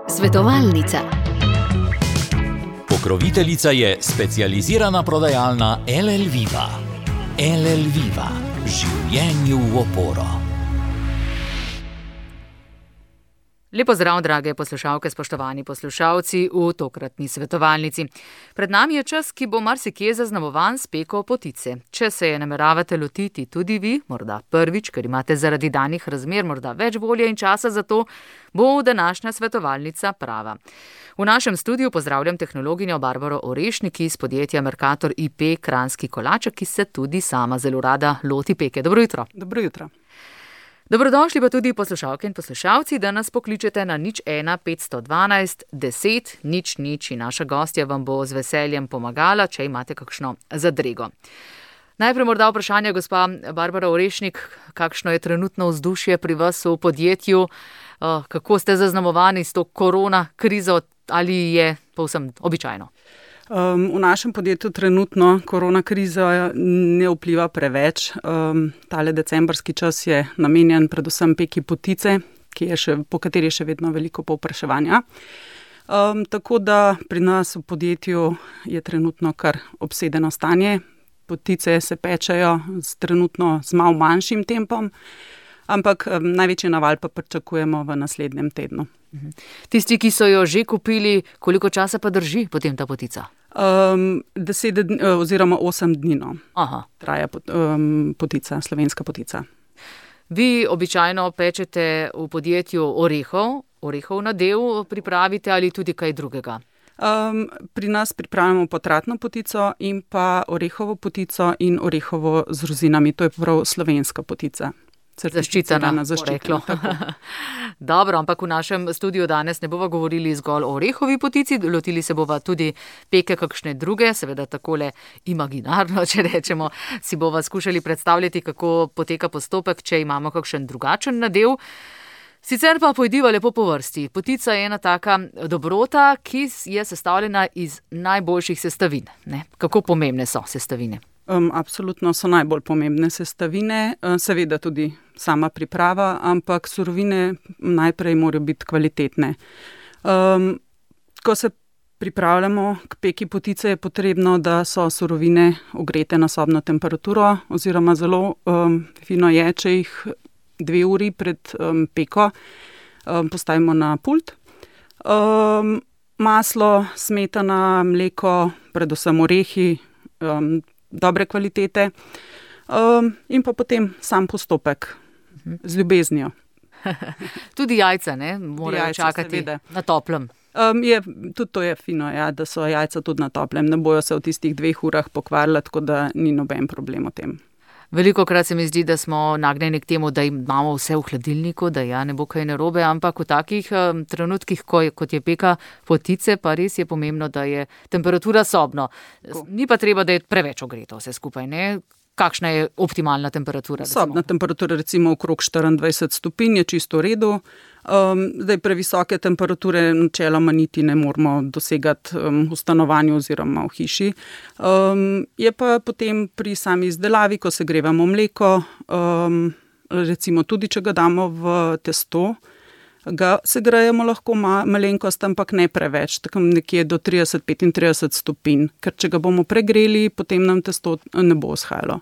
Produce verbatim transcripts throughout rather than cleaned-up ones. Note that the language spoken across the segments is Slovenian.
Svetovalnica. Pokroviteljica je specializirana prodajalna L L Viva. L L Viva. Življenju v oporo. Lepo zdrav, drage poslušalke, spoštovani poslušalci v tokratni svetovalnici. Pred nami je čas, ki bo marsikje zaznamovan s peko potice. Če se je nameravate lotiti tudi vi, morda prvič, ker imate zaradi danih razmer morda več volje in časa za to, bo današnja svetovalnica prava. V našem studiu pozdravljam tehnologinjo Barbaro Orešnik iz podjetja Mercator I P Kranjski Kolaček, ki se tudi sama zelo rada loti peke. Dobro jutro. Dobro jutro. Dobrodošli pa tudi poslušalke in poslušalci, da nas pokličete na nič ena petsto dvanajst deset nič nič in naša gostja vam bo z veseljem pomagala, če imate kakšno zadrego. Najprej morda vprašanje, gospa Barbara Orešnik, kakšno je trenutno vzdušje pri vas v podjetju, kako ste zaznamovani s to korona krizo ali je povsem običajno? Um, v našem podjetju trenutno korona kriza ne vpliva preveč. Um, tale decembrski čas je namenjen predvsem peki potice, ki je še, po kateri je še vedno veliko povpraševanja. Um, tako da pri nas v podjetju je trenutno kar obsedeno stanje. Potice se pečejo z trenutno z malo manjšim tempom, ampak um, največji naval pa pričakujemo v naslednjem tednu. Tisti, ki so jo že kupili, koliko časa pa drži potem ta potica? Um, deset dni, oziroma osem dni, no. Aha. Traja pot, um, potica, slovenska potica. Vi običajno pečete v podjetju orehov, orehov nadev pripravite ali tudi kaj drugega? Um, pri nas pripravljamo potratno potico in pa orehovo potico in orehovo z rozinami. To je prav slovenska potica. Zaščitena, poreklo. Dobro, ampak v našem studiu danes ne bova govorili zgolj o orehovi potici, lotili se bova tudi peke kakšne druge, seveda takole imaginarno, če rečemo, si bova skušali predstavljati, kako poteka postopek, če imamo kakšen drugačen nadev. Sicer pa pojdiva lepo po vrsti. Potica je ena taka dobrota, ki je sestavljena iz najboljših sestavin. Ne? Kako pomembne so sestavine? Um, absolutno so najbolj pomembne sestavine, seveda tudi sama priprava, ampak surovine najprej morajo biti kvalitetne. Um, ko se pripravljamo k peki potice, je potrebno, da so surovine ogrete na sobno temperaturo, oziroma zelo um, fino je, če jih dve uri pred um, peko um, postavimo na pult. Um, maslo, smetana, mleko, predvsem orehi, um, dobre kvalitete um, in pa potem sam postopek z ljubeznijo. Tudi jajca, ne? Morajo jajca, čakati seveda na toplem. Um, je, tudi to je fino, ja, da so jajca tudi na toplem. Ne bojo se v tistih dveh urah pokvarila, tako da ni noben problem o tem. Velikokrat se mi zdi, da smo nagnjeni k temu, da imamo vse v hladilniku, da ja, ne bo kaj narobe, ampak v takih um, trenutkih, ko je, kot je peka potice, pa res je pomembno, da je temperatura sobno. Ko? Ni pa treba, da je preveč ogreto vse skupaj, ne? Kakšna je optimalna temperatura? Sobna temperatura recimo okrog štiriindvajset stopinj je čisto v redu. Um, zdaj previsoke temperature načeloma niti ne moramo dosegati um, v stanovanju oziroma v hiši. Um, je pa potem pri sami izdelavi, ko segrevamo mleko, um, recimo tudi, če ga damo v testo, ga segrejemo lahko ma- malenkost, ampak ne preveč, tako nekje do trideset do petintrideset stopinj, ker če ga bomo pregreli, potem nam testo ne bo vzhajalo.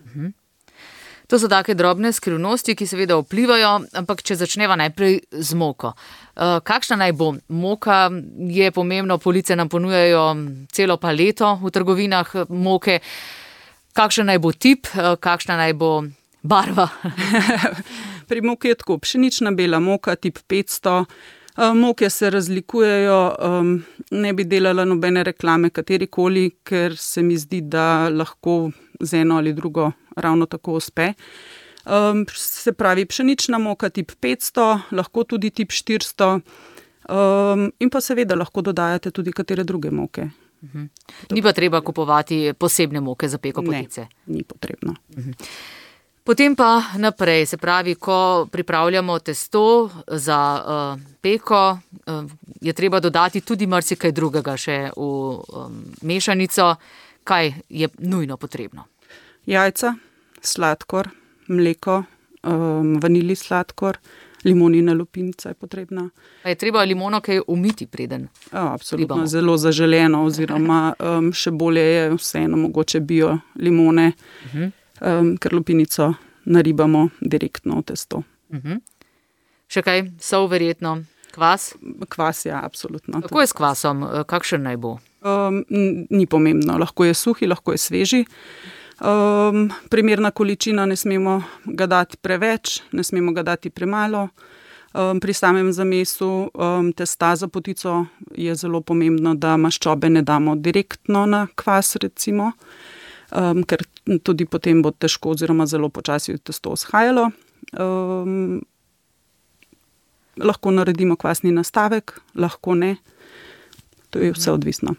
Mhm. To so take drobne skrivnosti, ki seveda vplivajo, ampak če začneva najprej z moko. Uh, kakšna naj bo? Moka je pomembno, police nam ponujajo celo paleto v trgovinah moke. Kakšen naj bo tip, uh, kakšna naj bo barva? Pri moki je tako, pšenična bela moka, tip petsto. Uh, moke se razlikujejo, um, ne bi delala nobene reklame katerikoli, ker se mi zdi, da lahko z eno ali drugo ravno tako uspe. Um, se pravi, pšenična moka tip petsto, lahko tudi tip štiristo um, in pa seveda lahko dodajate tudi katere druge moke. Uh-huh. Ni pa treba kupovati posebne moke za peko potice? Ne, ni potrebno. Uh-huh. Potem pa naprej, se pravi, ko pripravljamo testo za uh, peko, uh, je treba dodati tudi marsikaj drugega še v um, mešanico. Kaj je nujno potrebno? Jajca, sladkor, mleko, um, vanilij sladkor, limonina lupinica je potrebna. A je treba limono kaj umiti preden? Ja, absolutno, ribamo? Zelo zaželeno oziroma um, še bolje je vseeno mogoče bio limone, uh-huh. um, ker lupinico naribamo direktno v testo. Uh-huh. Še kaj? Sol verjetno? Kvas? Kvas, ja, absolutno. Kako je s kvasom? Kakšen naj bo? Um, ni pomembno. Lahko je suhi, lahko je sveži. Um, primerna količina, ne smemo ga dati preveč, ne smemo ga dati premalo. Um, pri samem zamesu um, testa za potico je zelo pomembno, da maščobe ne damo direktno na kvas, recimo, um, ker tudi potem bo težko oziroma zelo počasi testo shajalo. Um, lahko naredimo kvasni nastavek, lahko ne. To je vse odvisno.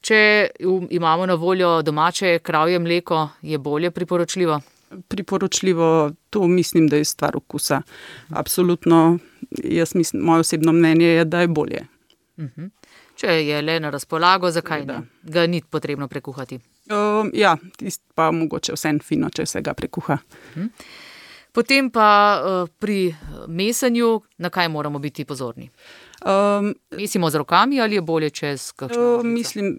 Če imamo na voljo domače kravje mleko, je bolje priporočljivo? Priporočljivo, to mislim, da je stvar okusa. Absolutno, jaz mislim, moje osebno mnenje je, da je bolje. Uh-huh. Če je le na razpolago, zakaj ne? Ga ni potrebno prekuhati? Um, ja, tist pa mogoče vse fino, če se ga prekuha. Uh-huh. Potem pa uh, pri mesanju, na kaj moramo biti pozorni? Um, mesimo z rokami ali je bolje čez kakšno? Uh, mislim,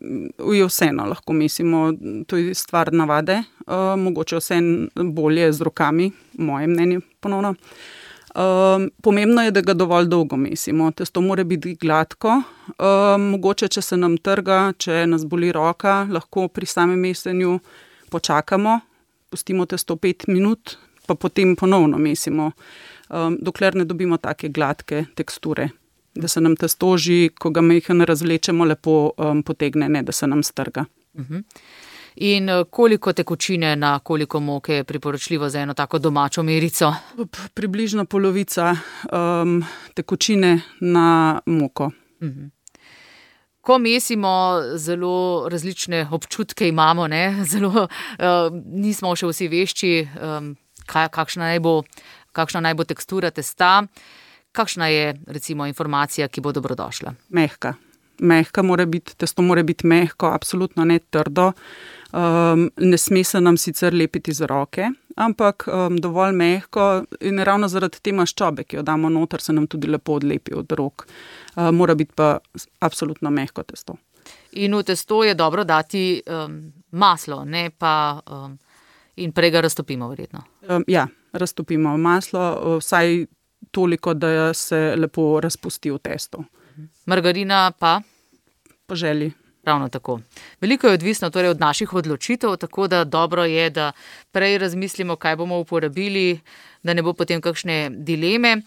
je vseeno, lahko mesimo, to je stvar navade. Uh, mogoče vseeno bolje z rokami, moje mnenje ponovno. Um, pomembno je, da ga dovolj dolgo mesimo. Testo mora biti gladko. Um, mogoče, če se nam trga, če nas boli roka, lahko pri samem mesenju počakamo, pustimo testo pet minut, pa potem ponovno mesimo, um, dokler ne dobimo take gladke teksture, da se nam testo že, ko ga majhno razvlečemo, lepo um, potegne, ne da se nam strga. Uh-huh. In koliko tekočine na koliko moke je priporočljivo za eno tako domačo merico? Približno polovica um, tekočine na moko. Uh-huh. Ko mesimo, zelo različne občutke imamo, ne? Zelo, uh, nismo še vsi vešči, um, kaj, kakšna, naj bo, kakšna naj bo tekstura testa. Kakšna je, recimo, informacija, ki bo dobrodošla? Mehka. Mehka mora biti, testo mora biti mehko, absolutno ne trdo. Um, ne sme se nam sicer lepiti za roke, ampak um, dovolj mehko in ravno zaradi te maščobe, ki jo damo noter, se nam tudi lepo odlepi od rok. Uh, mora biti pa absolutno mehko testo. In v testo je dobro dati um, maslo, ne pa um, in prej ga raztopimo verjetno. Um, ja, raztopimo maslo, vsaj toliko, da se lepo razpusti v testo. Margarina pa? Po želji. Ravno tako. Veliko je odvisno torej od naših odločitev, tako da dobro je, da prej razmislimo, kaj bomo uporabili, da ne bo potem kakšne dileme.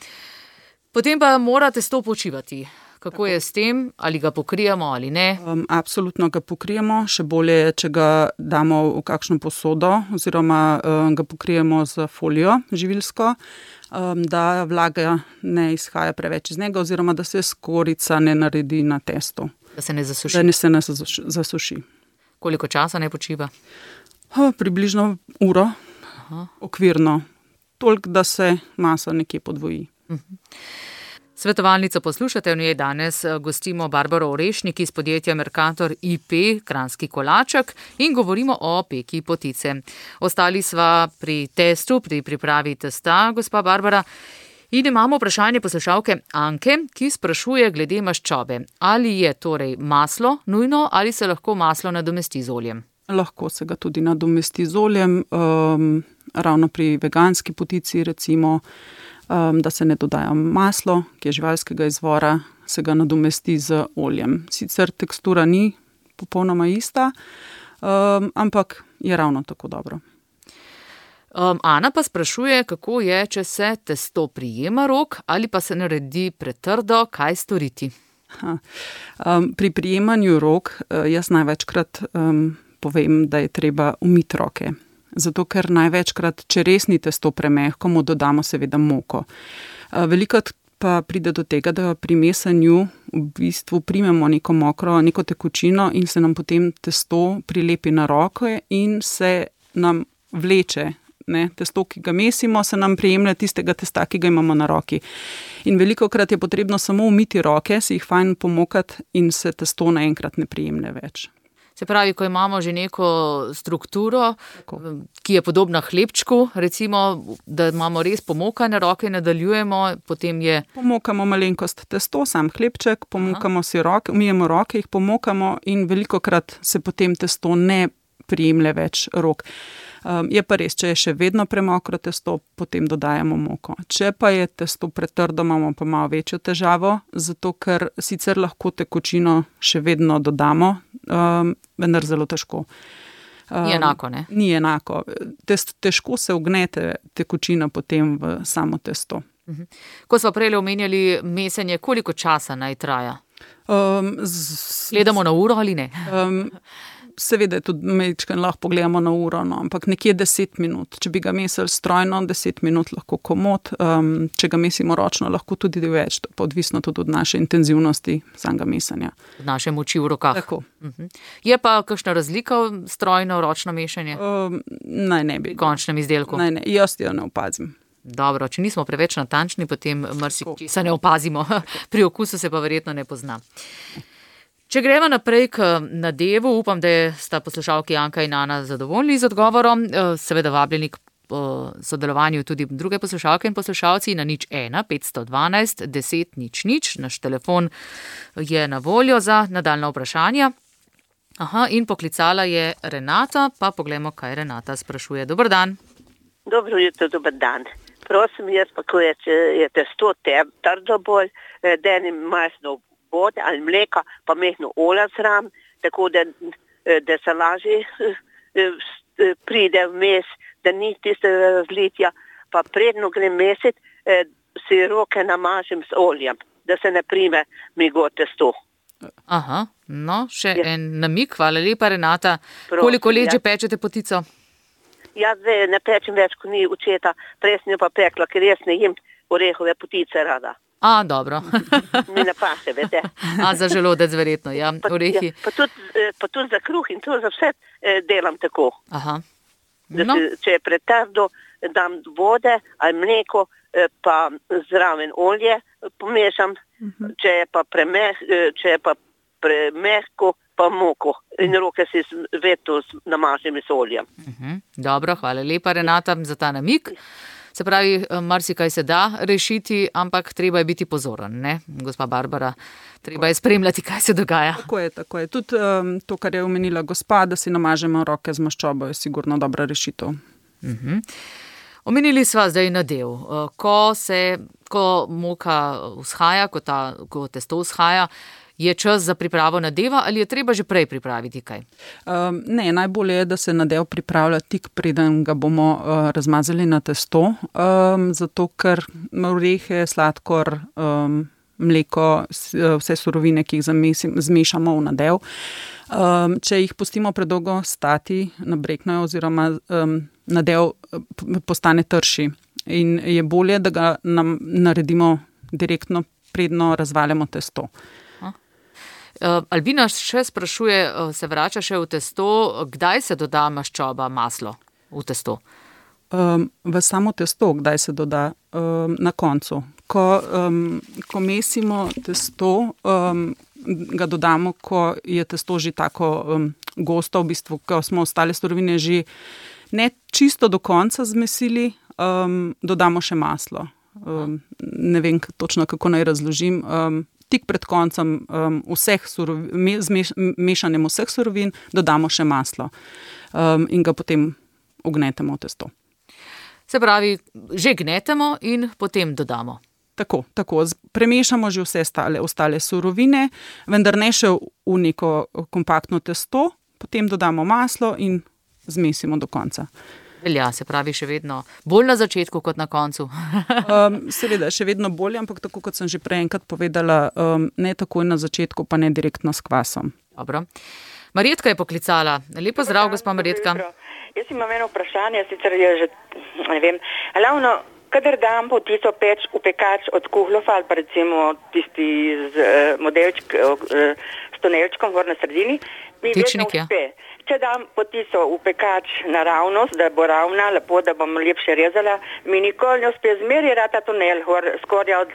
Potem pa mora testo počivati. Kako tako je s tem? Ali ga pokrijemo ali ne? Um, absolutno ga pokrijemo. Še bolje je, če ga damo v kakšno posodo oziroma um, ga pokrijemo z folijo živilsko, um, da vlaga ne izhaja preveč iz njega oziroma da se skorica ne naredi na testu. Da se ne zasuši. Da ne se ne zasuši. Koliko časa ne počiva? O, približno uro. Aha. Okvirno. Toliko, da se masa nekje podvoji. Uh-huh. Svetovalnico poslušate, v njej danes gostimo Barbaro Orešnik iz podjetja Mercator I P, Kranjski Kolaček, in govorimo o peki potice. Ostali sva pri testu, pri pripravi testa, gospa Barbara. In imamo vprašanje poslušalke Anke, ki sprašuje glede maščobe. Ali je torej maslo nujno ali se lahko maslo nadomesti z oljem? Lahko se ga tudi nadomesti z oljem, um, ravno pri veganski potici recimo, um, da se ne dodaja maslo, ki je živalskega izvora, se ga nadomesti z oljem. Sicer tekstura ni popolnoma ista, um, ampak je ravno tako dobro. Um, Ana pa sprašuje, kako je, če se testo prijema rok ali pa se naredi pretrdo, kaj storiti? Ha, um, pri prijemanju rok uh, jaz največkrat um, povem, da je treba umiti roke. Zato, ker največkrat, če res ni testo premehko, mu dodamo seveda moko. Uh, velikokrat pa pride do tega, da pri mesanju v bistvu primemo neko mokro, neko tekočino in se nam potem testo prilepi na roke in se nam vleče. Ne, testo, ki ga mesimo, se nam prijemlja tistega testa, ki ga imamo na roki. In velikokrat je potrebno samo umiti roke, si jih fajn pomokati in se testo naenkrat ne prijemlja več. Se pravi, ko imamo že neko strukturo, tako, ki je podobna hlebčku, recimo, da imamo res pomokane roke, nadaljujemo, potem je... Pomokamo malenkost testo, sam hlebček, pomokamo si roke, umijemo roke, jih pomokamo in velikokrat se potem testo ne prijemlje več rok. Um, je pa res, če je še vedno premokro testo, potem dodajamo moko. Če pa je testo pretrdo, imamo pa malo večjo težavo, zato ker sicer lahko tekočino še vedno dodamo, um, vendar zelo težko. Um, ni enako, ne? Ni enako. Test, težko se ugnete tekočina potem v samo testo. Uh-huh. Ko smo prej omenjali mesenje, koliko časa naj traja? Um, z, Gledamo na uro ali ne? Um, Seveda tudi mečken lahko pogledamo na uro, no, ampak nekje deset minut. Če bi ga mesili strojno, deset minut lahko komot, um, če ga mesimo ročno, lahko tudi več, pa odvisno tudi od naše intenzivnosti samega mesanja. Od naše moči v rokah. Tako. Uh-huh. Je pa kakšna razlika v strojno, ročno mešanje? Um, naj ne bi. V končnem izdelku? Naj ne, jaz jo ne opazim. Dobro, če nismo preveč natančni, potem marsikaj se ne opazimo. Pri okusu se pa verjetno ne pozna. Če gremo naprej k nadevu, upam, da sta poslušalki Janka in Ana zadovoljni z odgovorom. Seveda vabljeni k sodelovanju tudi druge poslušalke in poslušalci na nič ena petsto dvanajst deset nič nič. Naš telefon je na voljo za nadaljna vprašanja. Aha, in poklicala je Renata, pa poglejmo, kaj Renata sprašuje. Dober dan. Dobro jutro, dober dan. Prosim, jaz pa, ko je, je testo trdo bolj, da ne majhno vode ali mleka, pa mehno olja zraven, tako da, da se lažje pride vmes, da ni tiste razlitja, pa predno grem mesit, si roke namažem s oljem, da se ne prime migo testo. Aha, no, še ja. En namik, hvala lepa Renata. Prosim, koliko let ja. že pečete potico? Jaz zdaj ne pečem več, ko ni učeta, prej sem jo pa pekla, ker jaz ne jem orehove potice rada. A, dobro. Mi ne paše, vete. A, za želodec verjetno, ja, pa, orehi. Ja, pa, tudi, pa tudi za kruh in to za vse eh, delam tako. Aha. No. No. Se, če je pretrdo, dam vode ali mleko, eh, pa zraven olje pomešam, uh-huh. če je pa premeh, eh, če je pa premehko, pa moko. In roke si veto namažem s oljem. Uh-huh. Dobro, hvala lepa Renata za ta namik. Se pravi, marsikaj se da rešiti, ampak treba je biti pozoren, ne, gospa Barbara? Treba je spremljati, kaj se dogaja. Tako je, tako je. Tudi um, to, kar je omenila gospa, da si namažemo roke z maščobo, je sigurno dobra rešitev. Uh-huh. Omenili sva zdaj nadev. Ko se, ko moka vzhaja, ko, ta, ko testo vzhaja, je čas za pripravo nadeva ali je treba že prej pripraviti kaj? Um, ne, najbolje je, da se nadev pripravlja tik preden ga bomo uh, razmazali na testo, um, zato ker orehe, sladkor, um, mleko, vse surovine, ki jih zamesim, zmešamo v nadev. Um, če jih pustimo predolgo stati, nabreknejo oziroma um, nadev postane trši in je bolje, da ga nam naredimo direktno, predno razvaljamo testo. Uh, Albina še sprašuje, uh, se vrača še v testo, kdaj se doda maščoba, maslo v testo? Um, v samo testo, kdaj se doda? Um, na koncu. Ko, um, ko mesimo testo, um, ga dodamo, ko je testo že tako um, gosto, v bistvu, ko smo ostale surovine že ne čisto do konca zmesili, um, dodamo še maslo. Um, ne vem točno, kako naj razložim. Um, Tik pred koncem um, vseh surovin, me, zmeš, mešanjem vseh surovin dodamo še maslo um, in ga potem ugnetemo v testo. Se pravi, že gnetemo in potem dodamo. Tako, tako. Premešamo že vse stale, ostale surovine, vendar ne še v neko kompaktno testo, potem dodamo maslo in zmesimo do konca. Velja, se pravi, še vedno bolj na začetku kot na koncu. um, seveda, še vedno bolje, ampak tako kot sem že prej enkrat povedala, um, ne takoj na začetku, pa ne direktno s kvasom. Dobro. Marjetka je poklicala. Lepo zdrav, gospa Marjetka. Jaz imam eno vprašanje, sicer je že, ne vem, ravno, kadar dam potico peč v pekač od kuhlofa ali pa recimo tisti z uh, modelčk, uh, s tunelčkom gor na sredini, mi vedno uspe. Če dam potico v pekač naravnost, da bo ravna, lepo, da bom lepše rezala, mi nikoli ne uspe, zmeri rata tunel, skorja od,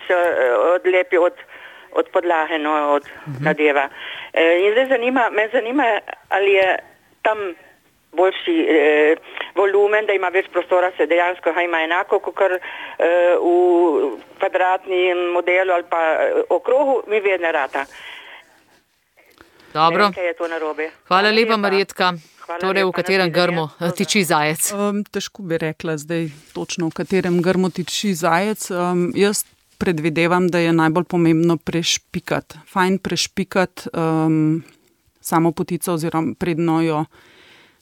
odlepi od, od podlahe, no, od uh-huh. nadeva. In zdaj zanima, me zanima, ali je tam boljši eh, volumen, da ima več prostora, se dejansko ima enako, kot kar eh, v kvadratnem modelu ali pa okrogu, mi vedno rata. Dobro. Ne, je to narobe. Hvala lepa, Marjetka. Hvala torej, lepa, v katerem grmu tiči zajec? Um, težko bi rekla zdaj točno, v katerem grmu tiči zajec. Um, jaz predvidevam, da je najbolj pomembno prešpikati. Fajn prešpikati um, samo potico oziroma predno jo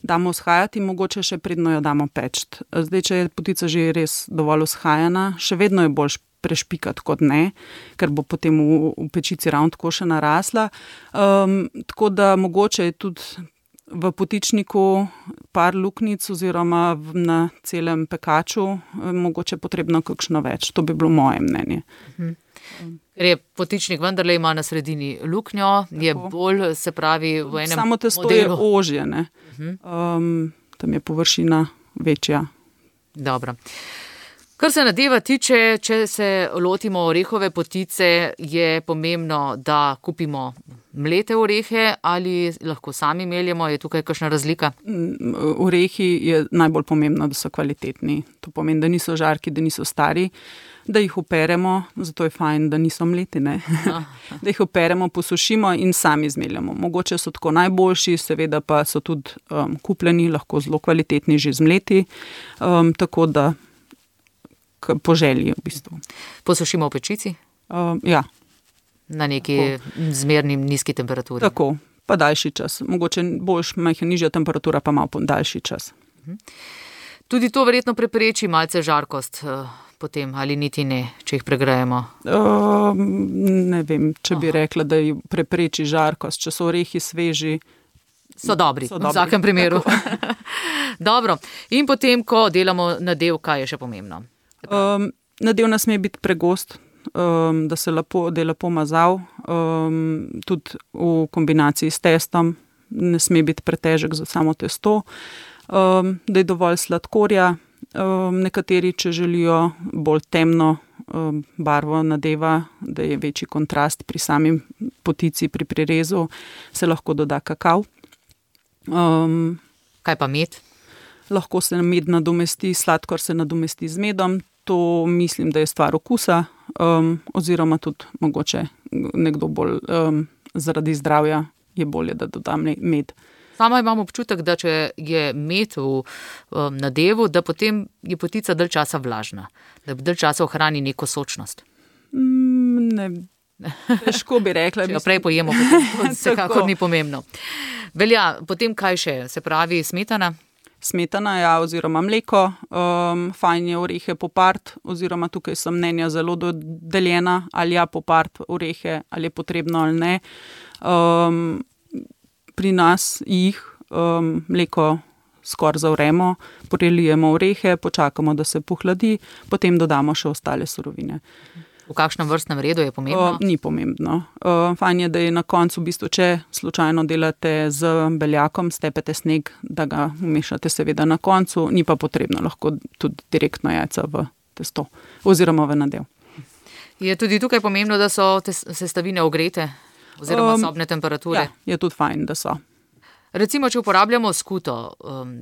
damo vzhajati in mogoče še predno jo damo pečt. Zdaj, če je potica že res dovolj vzhajana, še vedno je boljš prešpikati kot ne, ker bo potem v, v pečici ravno tako še narasla. Um, tako da mogoče je tudi v potičniku par luknjic oziroma na celem pekaču mogoče potrebno kakšno več. To bi bilo moje mnenje. Mhm. Ker je potičnik vendarle ima na sredini luknjo, tako. Je bolj, se pravi, v enem Samo testo modelu. je ožje, ne? Um, tam je površina večja. Dobro. Kar se nadeva tiče, če se lotimo orehove potice, je pomembno, da kupimo mlete orehe ali lahko sami meljemo, je tukaj kakšna razlika? Orehi je najbolj pomembno, da so kvalitetni. To pomeni, da niso žarki, da niso stari, da jih operemo, zato je fajn, da niso mleti, ne? Da jih operemo, posušimo in sami zmeljamo. Mogoče so tako najboljši, seveda pa so tudi um, kupljeni, lahko zelo kvalitetni že zmleti, um, tako da po želji v bistvu. Posušimo v pečici? Um, ja. Na neki tako. Zmerni nizki temperaturi? Tako, pa daljši čas. Mogoče boljš, majhna nižja temperatura, pa malo daljši čas. Tudi to verjetno prepreči malce žarkost potem, ali niti ne, če jih pregrejemo? Uh, ne vem, če bi Aha. rekla, da jih prepreči žarkost. Če so orehi sveži, so dobri, so v dobri. vsakem primeru. Dobro, in potem, ko delamo nadev, kaj je še pomembno? Um, nadev ne sme biti pregost, um, da se lepo, da je lepo mazal, um, tudi v kombinaciji s testom, ne sme biti pretežek za samo testo, um, da je dovolj sladkorja. Um, nekateri, če želijo bolj temno um, barvo nadeva, da je večji kontrast pri sami potici, pri prirezu, se lahko doda kakav. Um, Kaj pa med? Lahko se med nadomesti, sladkor se nadomesti z medom. To mislim, da je stvar okusa, um, oziroma tudi mogoče nekdo bolj um, zaradi zdravja je bolje, da dodam med. Sama imam občutek, da če je med v um, nadevu, da potem je potica dalj časa vlažna, da dalj časa ohrani neko sočnost. Mm, ne, težko bi rekla. Če jo prej pojemo, potem to vsekakor ni pomembno. Velja, potem kaj še? Se pravi smetana? Smetana, ja, oziroma mleko, um, fajn je orehe popart, oziroma tukaj so mnenja zelo dodeljena, ali ja popart orehe, ali je potrebno ali ne. Um, pri nas jih um, mleko skoraj zavremo, prelijemo orehe, počakamo, da se pohladi, potem dodamo še ostale surovine. V kakšnem vrstnem redu je pomembno? Uh, ni pomembno. Uh, fajn je, da je na koncu, v bistvu, če slučajno delate z beljakom, stepete sneg, da ga umešate seveda na koncu, ni pa potrebno lahko tudi direktno jajca v testo oziroma v nadev. Je tudi tukaj pomembno, da so te sestavine ogrete oziroma um, sobne temperature? Ja, je tudi fajn, da so. Recimo, če uporabljamo skuto, um,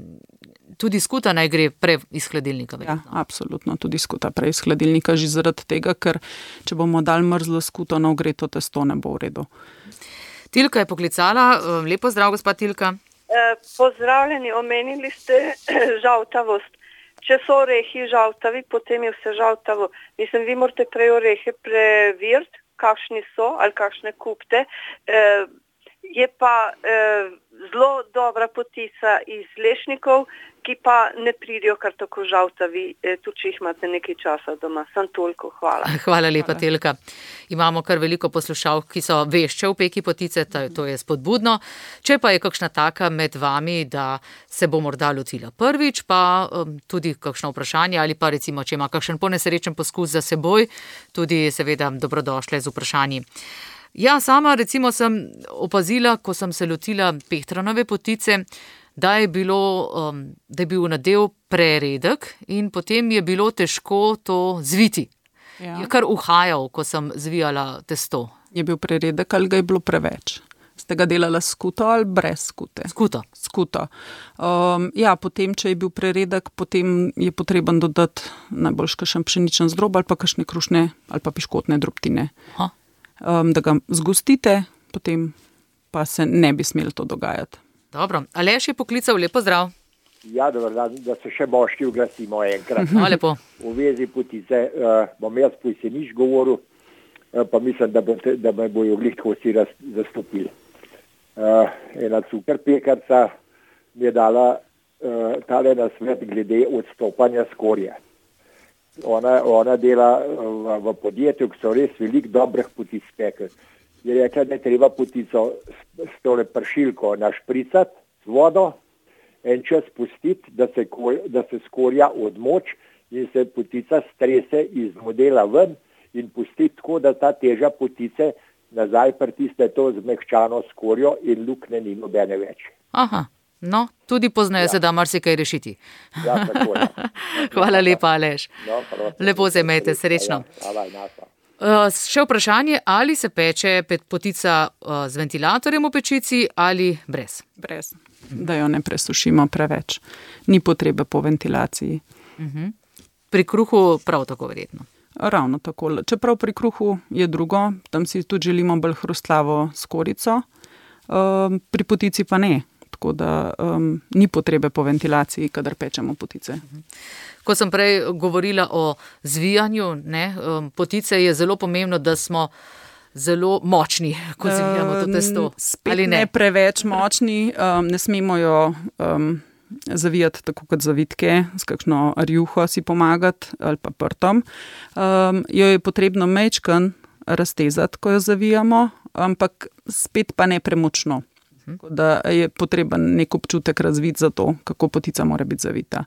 tudi skuta naj gre prej iz hladilnika. Ja, absolutno, tudi skuta prej iz hladilnika, že zaradi tega, ker če bomo dali mrzlo skuto na ogreto testo, ne bo v redu. Tilka je poklicala. Lepo zdrav, gospa Tilka. Eh, pozdravljeni, omenili ste žaltavost. Če so orehi žaltavi, potem je vse žaltavo. Mislim, vi morate prej orehe preveriti, kakšni so ali kakšne kupte. Eh, je pa eh, zelo dobra potica iz lešnikov, ki pa ne pridijo kar tako žaltavi, eh, tudi če jih imate nekaj časa doma. Sam toliko, hvala. Hvala lepa, Telka. Imamo kar veliko poslušalk, ki so vešče v peki potice, to je spodbudno. Če pa je kakšna taka med vami, da se bo morda lotila prvič, pa um, tudi kakšno vprašanje ali pa recimo, če ima kakšen ponesrečen poskus za seboj, tudi seveda dobrodošle z vprašanji. Ja, sama recimo sem opazila, ko sem se lotila pehtranove potice, da je, bilo, um, da je bil nadev preredek in potem je bilo težko to zviti. Ja. Je kar uhajal, ko sem zvijala testo. Je bil preredek ali ga je bilo preveč? Ste ga delali s skuto ali brez skute? Skuto. Skuto. Um, ja, potem, če je bil preredek, potem je potreben dodati najbolj kakšen pšeničen zdrob ali pa kakšne krušne ali pa piškotne drobtine. Um, da ga zgostite, potem pa se ne bi smelo to dogajati. Dobro. Aleš je poklical, lepo zdrav. Ja, dobro, da, da se še moški oglasimo enkrat. No, lepo. V vezi potice uh, bom jaz po jeseniš govoril, uh, pa mislim, da, bo te, da me bojo glih tako vsi zastopili. Uh, ena cukr pekarca mi je dala uh, tale nasvet glede odstopanja skorje. Ona, ona dela v, v podjetju, ki so res veliko dobrih potic spekli. Je rekla, da je treba potico s, s tole pršilko našpricati z vodo, en čas pustiti, da se, da se skorja odmoč in se potica strese iz modela ven in pustiti tako, da ta teža potice nazaj pritisne to zmehčano skorjo in lukne ni nobene več. Aha, no, tudi pozneje ja. Se da marsikaj rešiti. Ja, tako je. Hvala lepa, Aleš. No, lepo se imejte, srečno. Hvala, hvala. Uh, še vprašanje, ali se peče potica uh, z ventilatorjem v pečici ali brez? Brez, da jo ne presušimo preveč. Ni potrebe po ventilaciji. Uh-huh. Pri kruhu prav tako verjetno. Ravno tako. Čeprav pri kruhu je drugo, tam si tudi želimo bolj hrustlavo skorico, um, pri potici pa ne. Tako da um, ni potrebe po ventilaciji, kadar pečemo potice. Ko sem prej govorila o zvijanju, ne, um, potice je zelo pomembno, da smo zelo močni, ko zvijamo to testo. Spet ali ne? ne preveč močni, um, ne smemo jo um, zavijati tako kot zavitke, s kakšno rjuho si pomagati ali pa prtom. Um, jo je potrebno mečkan raztezati, ko jo zavijamo, ampak spet pa ne premočno. Da je potreben nek občutek razviti za to, kako potica mora biti zavita.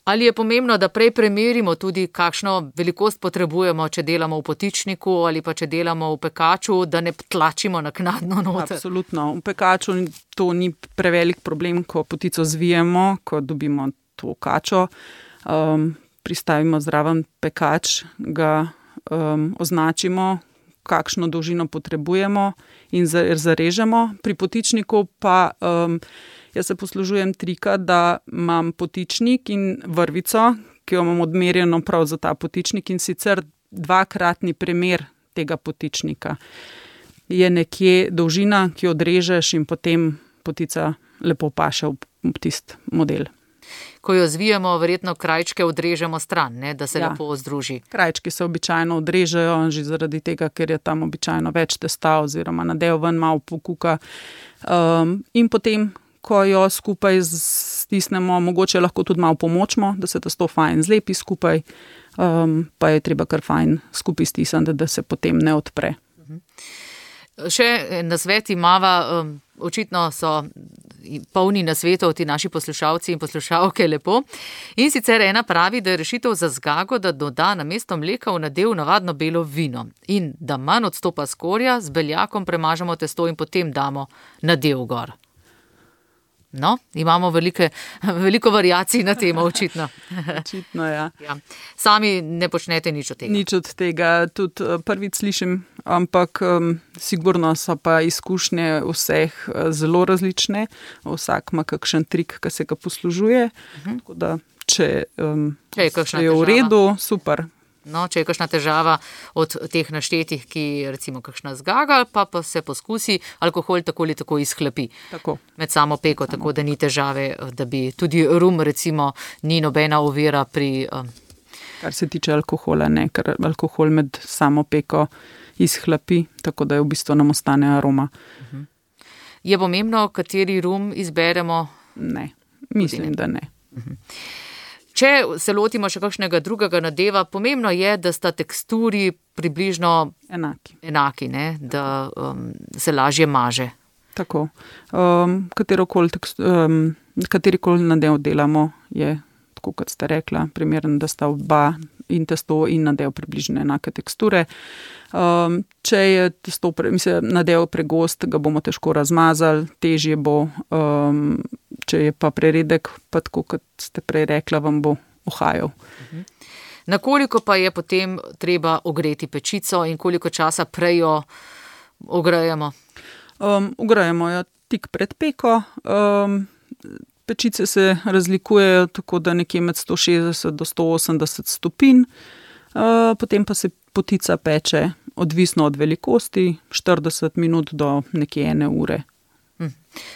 Ali je pomembno, da prej premerimo tudi, kakšno velikost potrebujemo, če delamo v potičniku ali pa če delamo v pekaču, da ne tlačimo naknadno noter? Absolutno. V pekaču to ni prevelik problem, ko potico zvijemo, ko dobimo to kačo, um, pristavimo zraven pekač, ga um, označimo, kakšno dolžino potrebujemo in zarežemo. Pri potičniku pa um, jaz se poslužujem trika, da imam potičnik in vrvico, ki jo imam odmerjeno prav za ta potičnik in sicer dvakratni premer tega potičnika. Je nekje dolžina, ki jo odrežeš in potem potica lepo paše v tisti model. Ko jo zvijemo, verjetno krajčke odrežemo stran, ne, da se ja. Lepo združi. Krajčki se običajno odrežejo, že zaradi tega, ker je tam običajno več testa oziroma nadev ven malo pokuka. Um, in potem, ko jo skupaj stisnemo, mogoče lahko tudi malo pomočimo, da se testo fajn zlepi skupaj, um, pa je treba kar fajn skupaj stisniti, da se potem ne odpre. Še nasvet imava, um, očitno so polni nasvetov ti naši poslušalci in poslušalke lepo. In sicer ena pravi, da je rešitev za zgago, da doda namesto mleka v nadev navadno belo vino in da manj odstopa skorja, z beljakom premažemo testo in potem damo nadev gor. No, imamo velike, veliko variacij na temo, očitno. Očitno, ja. Ja. Sami ne počnete nič od tega. Nič od tega, tudi prvič slišim, ampak um, sigurno so pa izkušnje vseh zelo različne. Vsak ima kakšen trik, ki se ga poslužuje. Uh-huh. Tako da, če, um, če je, je v redu, super. No, če je kakšna težava od teh naštetih, ki recimo kakšna zgaga, pa, pa se poskusi, alkohol tako ali tako izhlapi tako. Med samo peko, samo. Tako da ni težave, da bi tudi rum recimo ni nobena ovira pri... Um... Kar se tiče alkohola, ne, ker alkohol med samo peko izhlapi, tako da je v bistvu nam ostane aroma. Uh-huh. Je pomembno, kateri rum izberemo? Ne, mislim, da ne. Uh-huh. Če se lotimo še kakšnega drugega nadeva, pomembno je, da sta teksturi približno enaki, enaki ne? Da um, se lažje maže. Tako. Um, katerikoli tekst, um, katerikoli nadev delamo, je, tako kot ste rekla, primeren, da sta oba in testo in nadev približno enake teksture. Um, če je testo, mislim, nadev pregost, ga bomo težko razmazali, težje bo. Um, Če je pa preredek, pa tako, kot ste prej rekla, vam bo ohajal. Uh-huh. Na koliko pa je potem treba ogreti pečico in koliko časa prej jo ogrejemo? Um, ugrajemo jo tik pred peko. Um, pečice se razlikujejo tako, da nekje med sto šestdeset do sto osemdeset stopinj. Uh, potem pa se potica peče odvisno od velikosti, štirideset minut do nekje ene ure. Hm.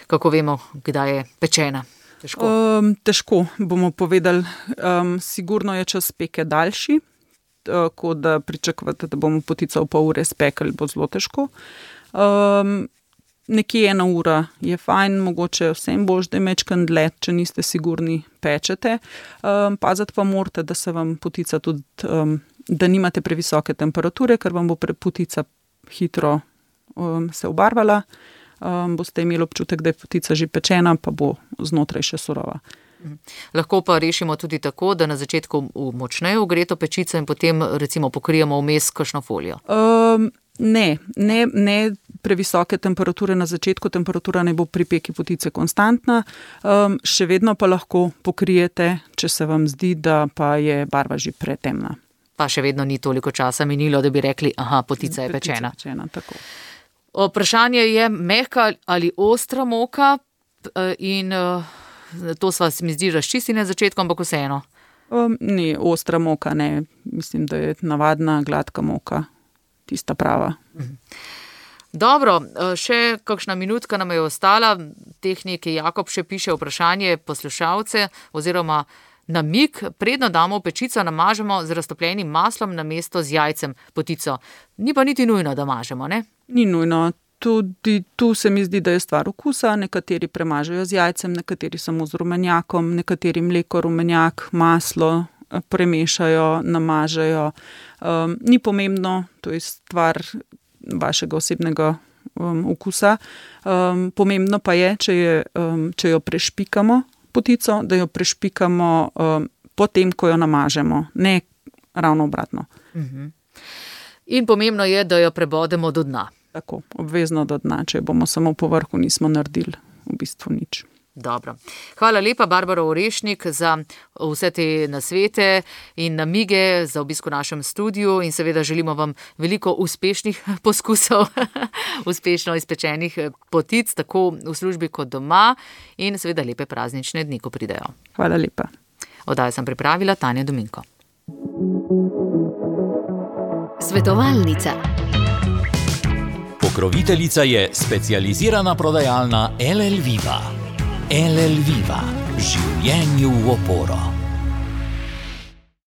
Kako vemo, kdaj je pečena? Težko. Um, težko bomo povedali. Um, sigurno je čas peke daljši, tako da pričakujete, da bomo potico v pol ure spekli, bo zelo težko. Um, nekje ena ura je fajn, mogoče vsem bož, da je mečkan dlje, če niste sigurni, pečete. Um, paziti pa morate, da se vam potica tudi, um, da nimate previsoke temperature, ker vam bo potica hitro um, se obarvala. Um, boste imeli občutek, da je potica že pečena, pa bo znotraj še surova. Lahko pa rešimo tudi tako, da na začetku močneje ogreto pečico in potem recimo pokrijemo vmes kakšno folijo. Um, ne, ne, ne previsoke temperature na začetku, temperatura ne bo pri peki potice konstantna, um, še vedno pa lahko pokrijete, če se vam zdi, da pa je barva že pretemna. Pa še vedno ni toliko časa minilo, da bi rekli, aha, potica je pečena. Potica je pečena, tako. Vprašanje je mehka ali ostra moka in to sva se mi zdi razčisti na začetku, ampak vseeno. Um, ni ostra moka, ne. Mislim, da je navadna gladka moka, tista prava. Dobro, še kakšna minutka nam je ostala. Tehnik Jakob še piše vprašanje poslušalce oziroma namig, predno damo v pečico, namažemo z raztopljenim maslom namesto z jajcem potico. Ni pa niti nujno, da mažemo, ne? Ni nujno. Tudi tu se mi zdi, da je stvar okusa. Nekateri premažejo z jajcem, nekateri samo z rumenjakom, nekateri mleko, rumenjak, maslo premešajo, namažejo. Um, ni pomembno, to je stvar vašega osebnega um, okusa. Um, pomembno pa je, če, je, um, če jo prešpikamo, potico, da jo prešpikamo um, potem, ko jo namažemo, ne ravno obratno. Uh-huh. In pomembno je, da jo prebodemo do dna. Tako, obvezno do dna, če bomo samo po vrhu, nismo naredili v bistvu nič. Dobro. Hvala lepa, Barbara Orešnik, za vse te nasvete in namige, za obisk v našem studiu in seveda želimo vam veliko uspešnih poskusov, uspešno izpečenih potic, tako v službi kot doma in seveda lepe praznične dni, ko pridejo. Hvala lepa. Oddajo sem pripravila Tanja Dominko. Svetovalnica. Pokroviteljica je specializirana prodajalna L L Viva. L L Viva. Življenju v oporo.